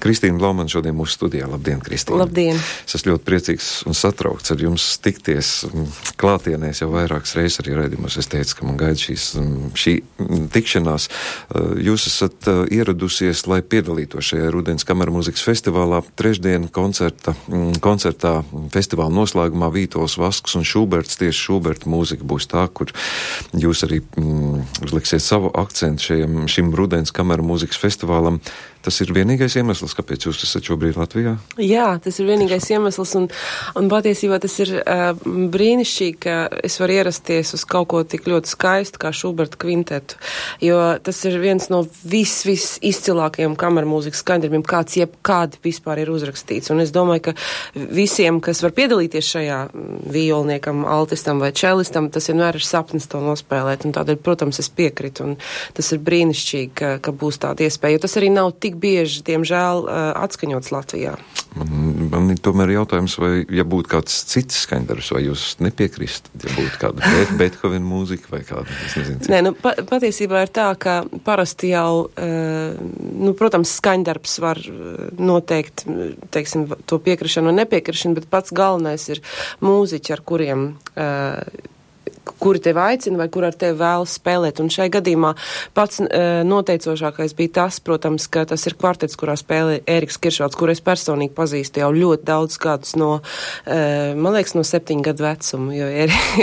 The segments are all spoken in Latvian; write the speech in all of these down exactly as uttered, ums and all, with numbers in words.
Kristīna Blaumana šodien mūsu studijā. Labdien, Kristīna. Labdien. Es esmu ļoti priecīgs un satraukts ar jums tikties klātienēs jau vairākas reizes arī raidījumos. Es teicu, ka man gaida šīs, šī tikšanās. Jūs esat ieradusies, lai piedalītos šajā Rudens kamermūzikas festivālā. Trešdien koncerta, koncertā festivāla noslēgumā Vītols Vasks un Šuberts, tieši Šuberta mūzika būs tā, kur jūs arī mm, uzliksiet savu akcentu šajam, šim Rudens kamermūzikas festivālam. Tas ir vienīgais iemesls, kāpēc jūs esat šobrīd Latvijā? Jā, tas ir vienīgais iemesls, un, un patiesībā tas ir uh, brīnišķīgi, ka es varu ierasties uz kaut ko tik ļoti skaistu kā Šuberta kvintetu, jo tas ir viens no vis, vis izcilākajiem kamermūzikas skaņdarbiem, kāds jebkādi vispār ir uzrakstīts. Un es domāju, ka visiem, kas var piedalīties šajā violniekam, altistam vai čelistam, tas vienmēr ir sapnis to nospēlēt, un tādēļ, protams, es piekritu, un tas ir brīnišķīgi, ka, ka būs tāda iespēja, jo tas arī nav tik bieži, diemžēl, atskaņots Latvijā. Man, man ir tomēr jautājums, vai, ja būtu kāds cits skaņdarbs, vai jūs nepiekrist, ja būtu kāda Beethovena mūzika vai kāda, es nezinu. Cik. Nē, nu, pa, patiesībā ir tā, ka parasti jau, nu, protams, skaņdarbs var noteikt, teiksim, to piekrišanu un nepiekrišanu, bet pats galvenais ir mūziķi, ar kuriem kuri tevi aicina vai kur ar tevi vēlas spēlēt. Un šai gadījumā pats uh, noteicošākais bija tas, protams, ka tas ir kvartets, kurā spēlē Ēriks Kiršvalds, kur es personīgi pazīstu jau ļoti daudz gadus no, uh, man liekas, no septiņu gadu vecuma, jo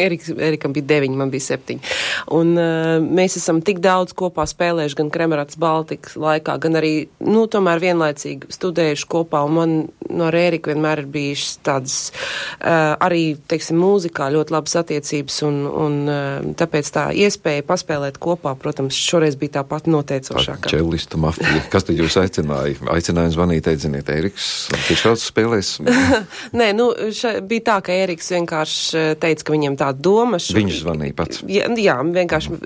Ēriks, Ērikam bija deviņi, man bija septiņi. Un uh, mēs esam tik daudz kopā spēlējuši gan Kremerats Baltikas laikā, gan arī, nu, tomēr vienlaicīgi studējuši kopā, un man no Ēriku vienmēr ir bijušas tādas uh, arī, teiksim, mūzikā ļoti labas attiecības, un un tāpēc tā iespēja paspēlēt kopā, protams, šoreiz bija tā pati noteicošākā. Čelistu mafija. Kas tad jūs aicināja? Aicināja zvanīt, teikt, ziniet, Ēriks, Kiršvalds spēlēs? Nē, nu, ša, bija tā, ka Ēriks vienkārši teica, ka viņiem tā doma. Š... Viņš zvanīja pats? Jā, jā, vienkārši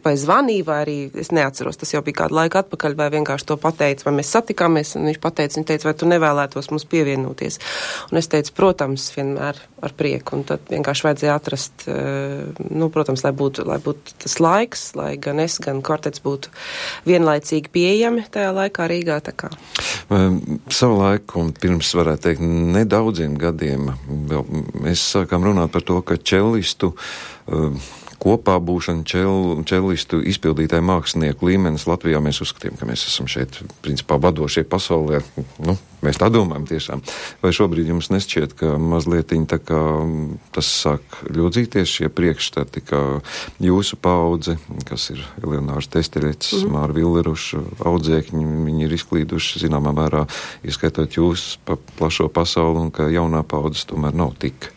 vai zvanīja, vai arī, es neatceros, tas jau bija kādu laiku atpakaļ, vai vienkārši to pateica, vai mēs satikāmies, un viņš pateica, viņš teica, vai tu nevēlētos mums pievienoties. Un es teicu, protams, vienmēr ar prieku, un tad vienkārši vajadzēja atrast, nu, protams, lai būtu, lai būtu tas laiks, lai gan es, gan kvartets būtu vienlaicīgi pieejami tajā laikā Rīgā, tā kā. Savu laiku, un pirms varētu teikt nedaudziem gadiem, vēl mēs sākām runāt par to, ka čelistu uh, kopā būšana čel, čelistu izpildītāju mākslinieku līmenis Latvijā, mēs uzskatījām, ka mēs esam šeit, principā, vadošie pasaulē. Nu, mēs tā domājam tiešām. Vai šobrīd jums nešķiet, ka mazlietiņ tā kā tas sāk ļodzīties šie priekšstati, ka jūsu paudze, kas ir Eleonārs Testeļets, mm. Māra Villeruša, audzēkņi, viņi ir izklīduši, zināmā mērā, ieskaitot jūs pa plašo pasauli, un ka jaunā paudzes tomēr nav tik.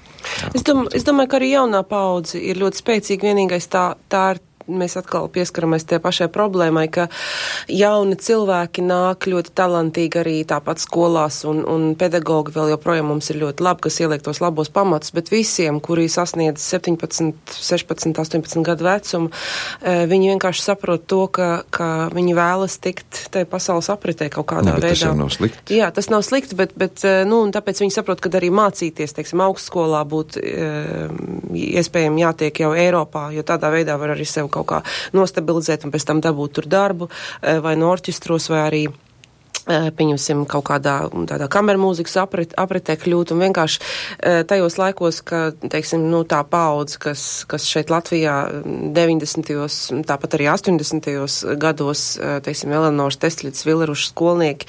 Es, dom, es domāju, ka arī jaunā paudze ir ļoti spēcīga, vienīgais tā, tā ir, mēs atkal pieskaramies tie pašai problēmai, ka jauni cilvēki nāk ļoti talantīgi arī tāpat skolās, un, un pedagogi vēl joprojām mums ir ļoti labi, kas ieliek tos labos pamatus, bet visiem, kuri sasniedz septiņpadsmit, sešpadsmit, astoņpadsmit gadu vecumu, viņi vienkārši saprot to, ka, ka viņi vēlas tikt tai pasaules apritē kaut kādā ne, bet veidā. Tas jau nav slikti. Jā, tas nav slikti, bet, bet nu, un tāpēc viņi saprot, ka arī mācīties, teiksim, augstskolā būt iespējami jātiek jau Eiropā, jo tādā veidā var arī sev kaut kā nostabilizēt un pēc tam dabūt tur darbu vai no orķestros vai arī pieņemsim kaut kādā tādā kamermūzikas aprit, apritē kļūt un vienkārši tajos laikos, ka, teiksim, nu tā paudze, kas, kas šeit Latvijā deviņdesmitajos, tāpat arī astoņdesmitajos gados, teiksim, Eleonors Testeļets, Villeruša skolnieki,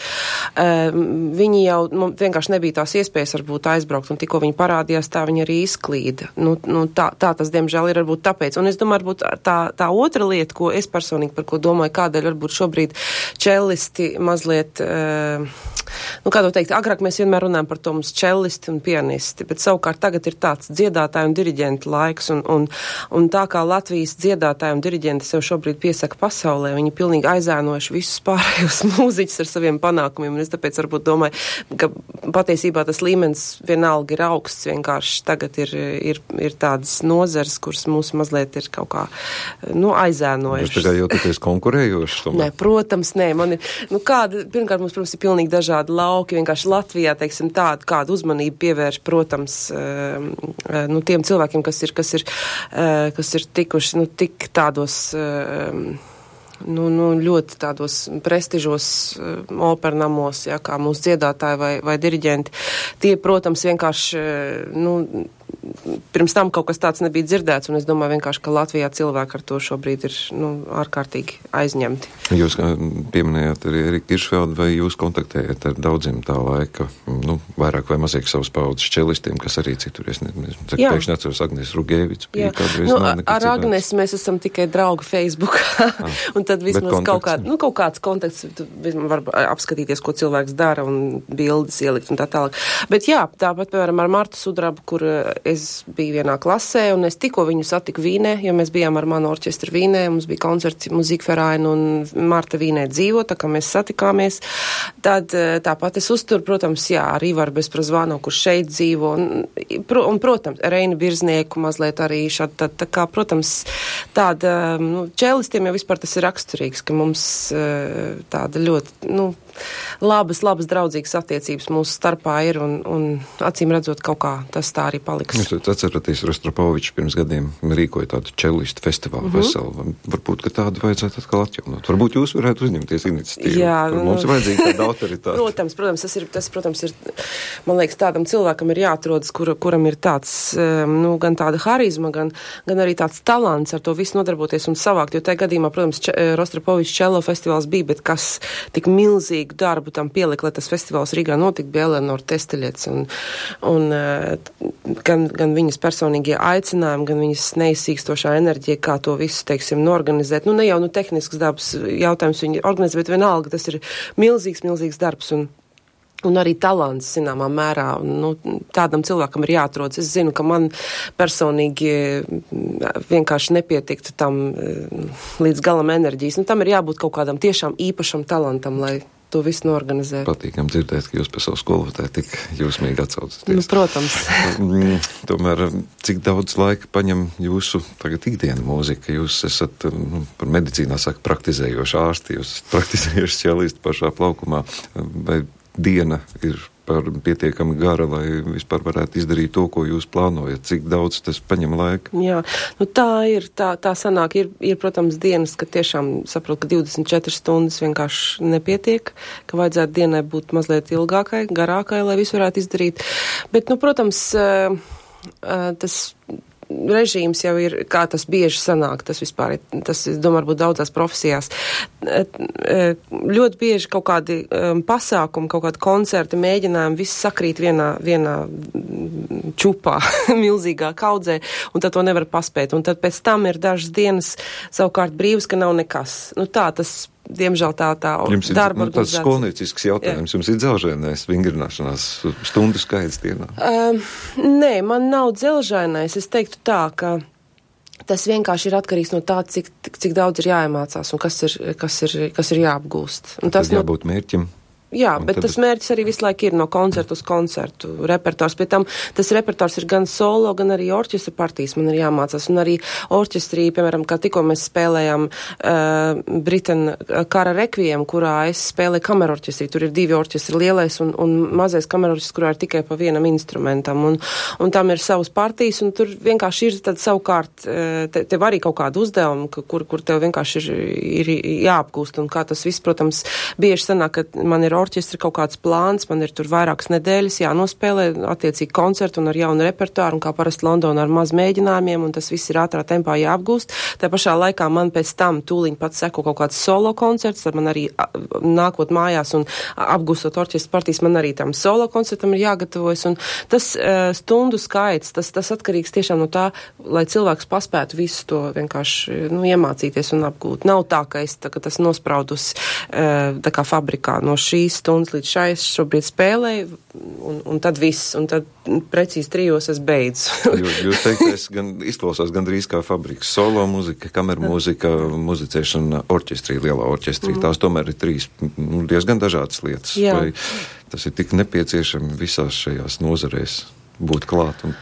viņi jau nu, vienkārši nebija tās iespējas varbūt aizbraukt, un tikko viņi parādījās, tā viņi arī izklīda. Nu, nu tā, tā tas, diemžēl, ir varbūt tāpēc. Un es domāju, varbūt tā, tā otra lieta, ko es personīgi par ko domāju, kādēļ varbūt šobrīd čelisti mazliet nu, kā to teikt, agrāk mēs vienmēr runājam par to mums čelisti un pianisti, bet savukārt tagad ir tāds dziedātāju un diriģentu laiks, un, un, un tā kā Latvijas dziedātāju un diriģenti sev šobrīd piesaka pasaulē, viņi pilnīgi aizēnojuši visus pārējos mūziķus ar saviem panākumiem, un es tāpēc varbūt domāju, ka patiesībā tas līmenis vienalga ir augsts, vienkārši tagad ir, ir, ir tādas nozars, kuras mūs mazliet ir kaut kā, nu, aizēnojušas. Jūs tagad jau tāpēc konkurējošas? Nē, protams, nē, man ir, nu, kāda, pirmkārt, mums, protams, ir pilnīgi dažādi lauki, vienkārši Latvijā, teiksim, tādu, kādu uzmanību pievērš, protams, nu, tiem cilvēkiem, kas ir, kas ir, kas ir tikuši, nu, tik tādos nu, nu, ļoti tādos prestižos uh, opernamos, ja, kā mūsu dziedātāji vai, vai diriģenti. Tie, protams, vienkārši, nu, pirms tam kaut kas tāds nebija dzirdēts, un es domāju vienkārši, ka Latvijā cilvēki ar to šobrīd ir, nu, ārkārtīgi aizņemti. Jūs pieminējāt arī Eriku Kiršfeldu, vai jūs kontaktējat ar daudziem tā laika, nu, vairāk vai mazāk savas paudzes čelistiem, kas arī citur, es nezinu, pēkšņi atceros Agnes Rugēvics. Nu, ar Agnes mēs esam tikai draugi Facebookā, ah, un tad vismaz kaut, kād, nu, kaut kāds kontakts, var apskatīties, ko cilvēks dara, un bildes ielikt un tā tālāk. Bet jā, tāpat, piemēram, ar Martu Sudrabu, kur es biju vienā klasē, un es tikko viņu satiku Vīnē, jo mēs bijām ar manu orķestru Vīnē, mums bija koncerts Muzīkverein, un Marta Vīnē dzīvo, tā kā mēs satikāmies. Tad tāpat es uzturu, protams, jā, ar Ivaru Bezprazvānu, kurš šeit dzīvo, un, un protams, Reini Birznieku mazliet arī šādi, tā, tā kā, protams, tāda, nu, čelistiem jau vispār tas ir raksturīgs, ka mums tāda ļoti, nu, labas, labas draudzīgas attiecības mūsu starpā ir, un, un acīm redzot, kaut kā tas tā arī paliks. Jūs atceraties, Rostropovičs pirms gadiem rīkoja tādu čelistu festivālu mm-hmm. veselu. Varbūt, ka tādu vajadzētu atkal atjaunot. Varbūt jūs varētu uzņemties iniciatīvu. Jā, mums ir vajadzīga tāda autoritāte. Protams, protams, tas ir, tas, protams, ir, man liekas, tādam cilvēkam ir jāatrodas, kur, kuram ir tāds, nu, gan tāda harizma, gan, gan arī tāds talants ar to visu nodarboties un savākt, jo tajā gadījumā, protams, Rostropovičs čelo festivāls bija, bet kas tik milzīgi darbu tam pielika, lai tas festivāls Rīgā notika, bija Eleonora Testeļets, un, un gan, gan viņas personīgie aicinājumi, gan viņas neizsīkstošā enerģija, kā to visu, teiksim, norganizēt. Nu, ne jau, nu, tehnisks dabas jautājums viņi organizē, bet vienalga, tas ir milzīgs, milzīgs darbs, un Un arī talants, zināmā mērā, nu, tādam cilvēkam ir jāatrodas. Es zinu, ka man personīgi vienkārši nepietiktu tam līdz galam enerģijas. Nu, tam ir jābūt kaut kādam tiešām īpašam talantam, lai to visu norganizētu. Patīkam dzirdēt, ka jūs par savu skolotāju tik jūsmīgi atsaucaties. Nu, protams. Tomēr, cik daudz laika paņem jūsu tagad ikdiena mūzika? Jūs esat, nu, par medicīnā saka, praktizējoši ārsti, jūs esat praktizējoši speciālisti pašā plaukumā, vai diena ir par pietiekami gara, lai vispār varētu izdarīt to, ko jūs plānojat, cik daudz tas paņem laika? Jā, nu tā ir, tā, tā sanāk, ir, ir, protams, dienas, ka tiešām saprot, ka divdesmit četras stundas vienkārši nepietiek, ka vajadzētu dienai būt mazliet ilgākai, garākai, lai visu varētu izdarīt. Bet, nu, protams, tas režīms jau ir, kā tas bieži sanāk, tas vispār ir, tas, es domāju, varbūt daudzās profesijās. Ļoti bieži kaut kādi um, pasākumi, kaut kādi koncerti, mēģinājumi, viss sakrīt vienā, vienā čupā, milzīgā kaudzē, un tad to nevar paspēt. Un tad pēc tam ir dažas dienas savukārt brīvas, ka nav nekas. Nu tā, tas diemžēl tā, tā jums ir, darba nu, tāds skolniecisks jautājums. Jā. Jums ir dzelžainais vingrināšanās stundu skaits dienā? Um, nē, man nav dzelžainais. Es teiktu tā, ka tas vienkārši ir atkarīgs no tā, cik, cik daudz ir jāiemācās un kas ir, kas ir, kas ir jāapgūst. Un tas tad jābūt mērķim. Jā, bet tas mērķis arī visu laiku ir no koncertu uz koncertu repertors. Pēc tam tas repertors ir gan solo, gan arī orķestra partijas man ir jāmācās. Un arī orķestrī, piemēram, kā tikko mēs spēlējām uh, Britan kara rekviem, kurā es spēlēju kamerorķestrī. Tur ir divi orķestri, lielais un, un mazais kamerorķestris, kurā ir tikai pa vienam instrumentam. Un, un tam ir savas partijas, un tur vienkārši ir tad savukārt, te, tev arī kaut kādu uzdevumu, kur, kur tev vienkārši ir, ir jāapgūst. Un kā tas viss, protams, bieži sanāk, ka man ir orķestri kaut kāds plāns, man ir tur vairākas nedēļas jānospēlē attiecīgi koncertu un ar jaunu repertuāru, un kā parasti Londonā ar maz mēģinājumiem, un tas viss ir ātrā tempā jāapgūst. Tā pašā laikā man pēc tam tūliņ pats seko kaut kāds solo koncerts, tad man arī nākot mājās un apgūstot orķestra partijas, man arī tam solo koncertam ir jāgatavojas, un tas uh, stundu skaits, tas, tas atkarīgs tiešām no tā, lai cilvēks paspētu visu to vienkārši, nu, iemācīties un apgūt. Nav tā, ka es tā, ka tas nospraudus uh, tā kā fabrikā no šīs stundas līdz šai es šobrīd spēlēju, un, un tad viss, un tad precīzi trijos es beidzu. jūs, jūs teiktais gan izklausās gandrīz kā fabriks. Solo muzika, kameru mūzika, muzicēšana orķestrī, lielā orķestrī. Mm. Tās tomēr ir trīs nu, diezgan dažādas lietas. Jā. Vai tas ir tik nepieciešami visās šajās nozarēs būt klāt un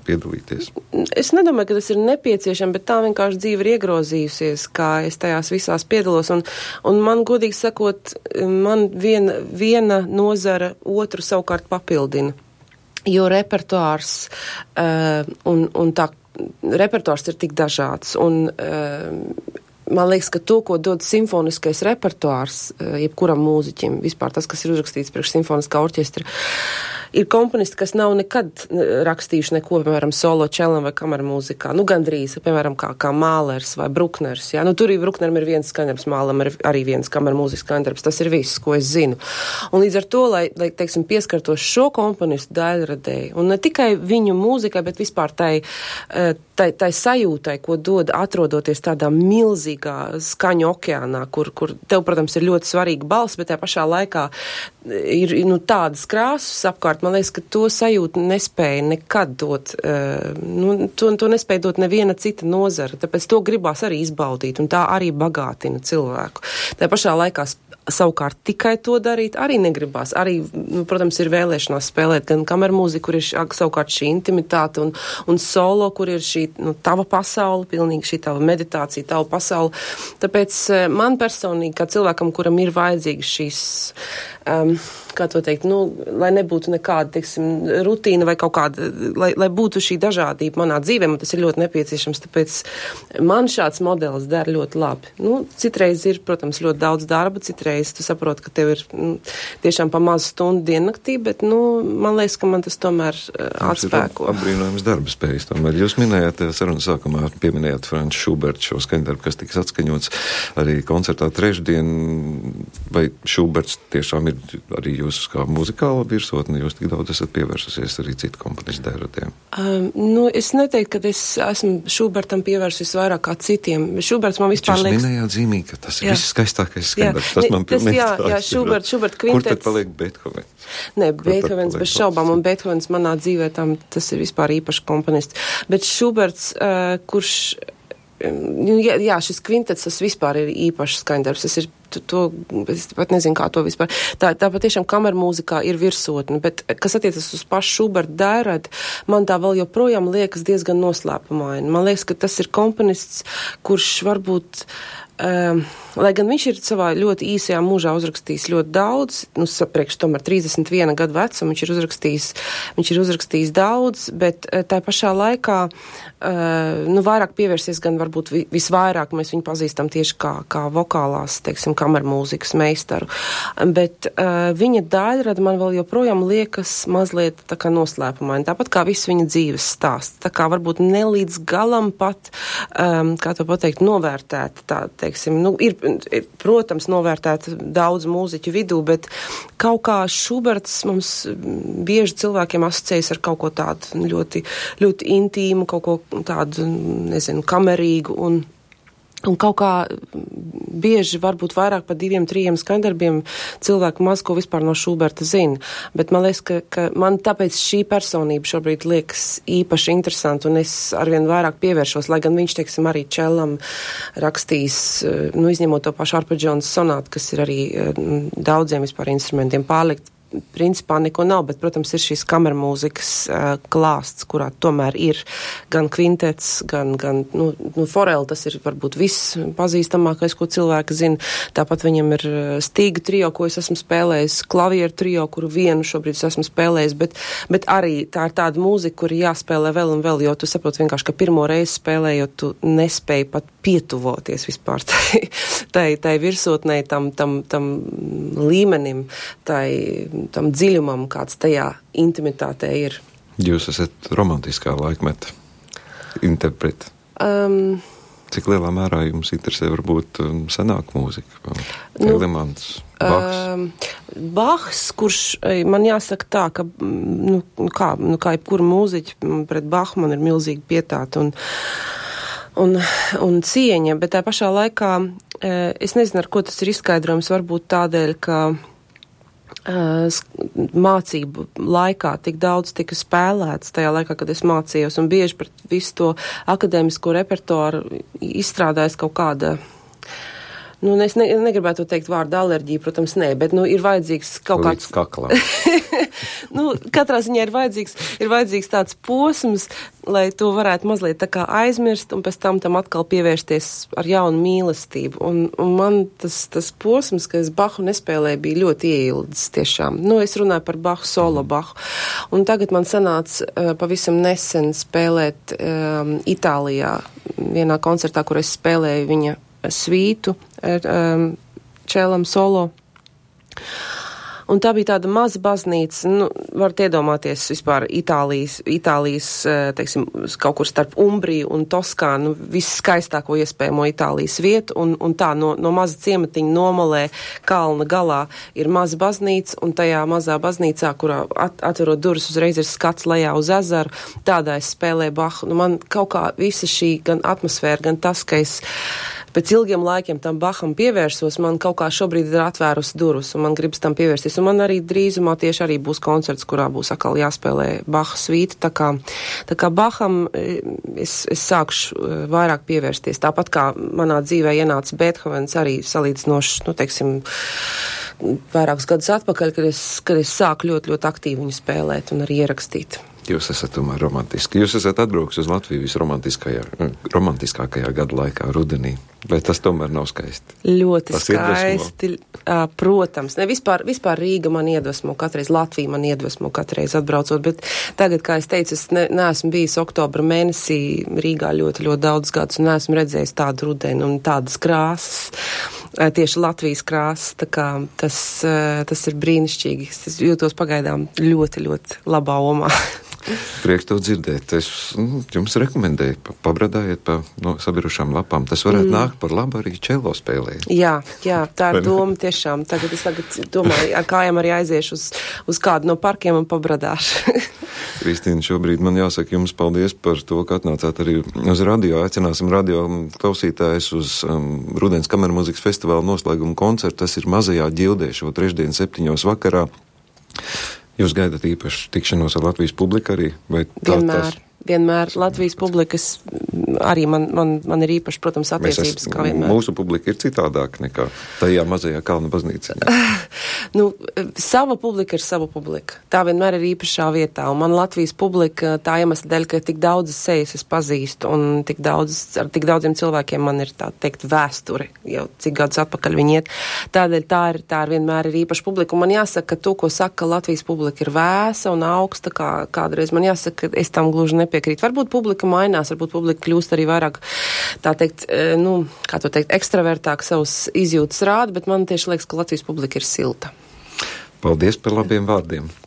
piedalīties? Es nedomāju, ka tas ir nepieciešami, bet tā vienkārši dzīve ir iegrozījusies, kā es tajās visās piedalos, un, un man, godīgi sakot, man viena, viena nozara otru savukārt papildina, jo repertuārs uh, un, un tā repertuārs ir tik dažāds, un uh, man liekas, ka to, ko dod simfoniskais repertuārs, jebkuram mūziķim, vispār tas, kas ir uzrakstīts priekš simfoniskā orķestra, ir komponisti, kas nav nekad rakstījuši neko, piemēram, solo čelam vai kamermūzikā. Nu, gandrīz, piemēram, kā, kā Mālers vai Brukners. Jā. Nu, tur ir Brukneram ir viens skaņdarbs, Mālam ir arī viens kamermūzikas skaņdarbs. Tas ir viss, ko es zinu. Un līdz ar to, lai, lai teiksim, pieskartos šo komponistu daļradēji, un ne tikai viņu mūzikai, bet vispār tai, tai, tai sajūtai, ko dod atrodoties tādā milzīgā skaņu okeānā, kur, kur tev, protams, ir ļoti svarīga balss, bet tajā pašā laikā ir nu, tādas krāsas apkārt. Man liekas, ka to sajūtu nespēja nekad dot, uh, nu, to, to nespēja dot neviena cita nozara, tāpēc to gribās arī izbaudīt, un tā arī bagātina cilvēku. Tā pašā laikā savukārt tikai to darīt arī negribās. Arī, nu, protams, ir vēlēšanās spēlēt gan kamermūziku, kur ir š, savukārt šī intimitāte, un, un solo, kur ir šī nu, tava pasaule, pilnīgi šī tava meditācija, tava pasaule. Tāpēc man personīgi, kā cilvēkam, kuram ir vajadzīgas šīs Um, kā to teikt, nu, lai nebūtu nekāda, teiksim, rutīna vai kaut kāda, lai, lai būtu šī dažādība manā dzīvē, man tas ir ļoti nepieciešams, tāpēc man šāds modelis der ļoti labi. Nu, citreiz ir, protams, ļoti daudz darba, citreiz tu saproti, ka tev ir nu, tiešām pa mazu stundu diennaktī, bet, nu, man liekas, ka man tas tomēr uh, atspēko. Ap, apbrīnojams darba spējas tomēr. Jūs minējāt, sarunas sākumā pieminējāt Franču Šubertu šo skaņdarbu, kas tiks atskaņots arī koncertā trešdien, vai Šuberts tiešām ir arī jūs kā muzikāla virsotne, jūs tik daudz esat pievērsusies arī citu komponistu daļradiem? Um, nu, es neteiktu, ka es esmu Šubertam pievērsusies vairāk kā citiem. Šuberts man vispār liekas... Jūs minējāt zīmīgi, ka tas ir jā. viss skaistākais skandarbs. Tas man tas, pilnīgi jā, tā. Jā, Šubert, Šubert kvintets... Kur tad paliek Beethovens? Nē, Beethovens bez šaubām, un Beethovens manā dzīvē tam tas ir vispār īpašs komponists. Bet Šuberts, uh, kurš... Jā, jā, šis kvintets, tas vispār ir īpašs skaņdarbs. Tas ir, to, to, es pat nezinu, kā to vispār. Tā, tā patiešām kamermūzikā ir virsotne, bet, kas attiecas uz pašu Šuberta daļradi, man tā vēl joprojām liekas diezgan noslēpumaini. Man liekas, ka tas ir komponists, kurš varbūt... Um, lai gan viņš ir savā ļoti īsajā mūžā uzrakstījis ļoti daudz, nu, sapriekš tomēr trīsdesmit viena gadu vecumu, viņš ir uzrakstījis, viņš ir uzrakstījis daudz, bet tā pašā laikā, uh, nu, vairāk pievērsies gan varbūt visvairāk mēs viņu pazīstam tieši kā, kā vokālās, teiksim, kamermūzikas meistaru, bet uh, viņa daļrada man vēl joprojām liekas mazliet tā kā noslēpumaini, tāpat kā viss viņa dzīves stāsts, tā kā varbūt ne līdz galam pat, um, kā to pateikt, novērtēta tā, teiksim, nu, ir, ir, protams, novērtēta daudz mūziķu vidū, bet kaut kā Šuberts mums bieži cilvēkiem asociējas ar kaut ko tādu ļoti, ļoti intīmu, kaut ko tādu, nezinu, kamerīgu un Un kaut kā bieži, varbūt vairāk par diviem, trījiem skaņdarbiem cilvēku maz ko vispār no Šuberta zina. Bet man liekas, ka, ka man tāpēc šī personība šobrīd liekas īpaši interesanti, un es arvien vairāk pievēršos, lai gan viņš, teiksim, arī čelam rakstīs, nu, izņemot to pašu arpeģionas sonātu, kas ir arī daudziem vispār instrumentiem pārlikt. Principā neko nav, bet, protams, ir šīs kamermūzikas uh, klāsts, kurā tomēr ir gan kvintets, gan, gan nu, nu, foreli, tas ir varbūt viss pazīstamākais, ko cilvēki zina. Tāpat viņam ir stīga trio, ko es esmu spēlējis, klavieru trio, kuru vienu šobrīd es esmu spēlējis, bet, bet arī tā ir tāda mūzika, kur jāspēlē vēl un vēl, jo tu saproti vienkārši, ka pirmo reizi spēlējot, tu nespēji pat pietuvoties vispār tai, tai, tai virsotnei, tam, tam, tam līmenim, tai tam dziļumam, kāds tajā intimitātē ir. Jūs esat romantiskā laikmeta interprete. Um, Cik lielā mērā jums interesē varbūt senāka mūzika? Telemans, nu, Bachs? Um, Bachs, kurš, man jāsaka tā, ka, nu, kā, nu, kā jebkura mūziķa pret Bachu man ir milzīgi pietāta un, un, un cieņa, bet tā pašā laikā es nezinu, ar ko tas ir izskaidrojums, varbūt tādēļ, ka mācību laikā tik daudz tika spēlēts tajā laikā, kad es mācījos, un bieži pret visu to akadēmisko repertuāru izstrādājas kaut kāda, nu, es ne, negribētu teikt vārdu alerģija, protams, nē, bet, nu, ir vajadzīgs kaut Līdz kāds... kaklā. nu, katrā ziņā ir vajadzīgs, ir vajadzīgs tāds posms, lai to varētu mazliet tā kā aizmirst, un pēc tam tam atkal pievērsties ar jaunu mīlestību. Un, un man tas, tas posms, ka es Bahu nespēlēju, bija ļoti ieildzis tiešām. Nu, es runāju par Bahu, solo Bahu. Un tagad man sanāca uh, pavisam nesen spēlēt um, Itālijā vienā koncertā, kur es spēlēju viņa svītu um, čēlam solo. Un tā bija tāda maza baznīca, nu, varat iedomāties vispār Itālijas, Itālijas, teiksim, kaut kur starp Umbriju un Toskānu, visskaistāko iespējamo Itālijas vietu, un, un tā no, no maza ciematiņa nomalē kalna galā ir maza baznīca, un tajā mazā baznīcā, kurā at, atverot durvis uzreiz ir skats lejā uz ezeru, tādā es spēlēju Bahu. Nu, man kaut kā visa šī gan atmosfēra, gan tas, ka es pēc ilgiem laikiem tam Baham pievērsos, man kaut kā šobrīd ir atvērus durvis, un man gribas tam pievērsties. Un man arī drīzumā tieši arī būs koncerts, kurā būs atkal jāspēlē Baha svīta. Tā kā, tā kā Baham es, es sākšu vairāk pievērsties. Tāpat kā manā dzīvē ienāca Beethovens arī salīdzinoši, nu, teiksim, vairākus gadus atpakaļ, kad es, kad es sāku ļoti, ļoti aktīvi viņu spēlēt un arī ierakstīt. Jūs esat tomēr romantiski. Jūs esat atbrauks uz Latviju visromantiskākajā gada laikā, rudenī. Vai tas tomēr nav skaisti? Ļoti tas skaisti. Uh, protams. Ne, vispār, vispār Rīga man iedvesmo katreiz, Latvija man iedvesmo katreiz atbraucot, bet tagad, kā es teicu, es ne, neesmu bijis oktobra mēnesī Rīgā ļoti, ļoti daudz gadus un neesmu redzējis tādu rudeni un tādas krāsas, uh, tieši Latvijas krāsas, tā kā tas, uh, tas ir brīnišķīgi. Es jūtos pagaidām ļoti, ļoti labā omā. Prieks to dzirdēt. Es nu, jums rekomendēju, pa, pabradājiet pa no, sabirušām lapām. Tas varētu mm. nākt par labu arī čelo spēlē. Jā, jā, tā ir doma tiešām. Tagad es tagad domāju, ar kājām arī aiziešu uz, uz kādu no parkiem un pabradāšu. Kristīna, šobrīd man jāsaka jums paldies par to, ka atnācāt arī uz radio. Aicināsim radio klausītājus uz um, Rudens kamermuzikas festivāla noslēguma koncertu. Tas ir Mazajā ģildē šo trešdien septiņos vakarā. Jūs gaidat īpaši tikšanos ar Latvijas publiku arī? Vai tā, vienmēr, tas... vienmēr Latvijas publikas arī man, man, man ir īpaši, protams, attiecības, es, kā vienmēr. Mūsu publika ir citādāk nekā tajā mazajā kalna baznīciņā. Nu, sava publika ir sava publika. Tā vienmēr ir īpašā vietā, un man Latvijas publika tā iemesla dēļ, ka tik daudzas sejas es pazīstu, un tik daudz, ar tik daudziem cilvēkiem man ir tā teikt vēsture, jau cik gadus atpakaļ viņi iet. Tādēļ tā ir, tā ir vienmēr ir īpaša publika, un man jāsaka, ka to, ko saka Latvijas publika ir vēsa un augsta, kā kādreiz man jāsaka, ka es tam gluži nepiekrītu. Varbūt publika mainās, varbūt publika kļūst arī vairāk, tā teikt, nu, kā to teikt, ekstravertāk savus izjūtas rāda, bet man tieši liekas, ka Latvijas publika ir silta. Paldies par labiem vārdiem!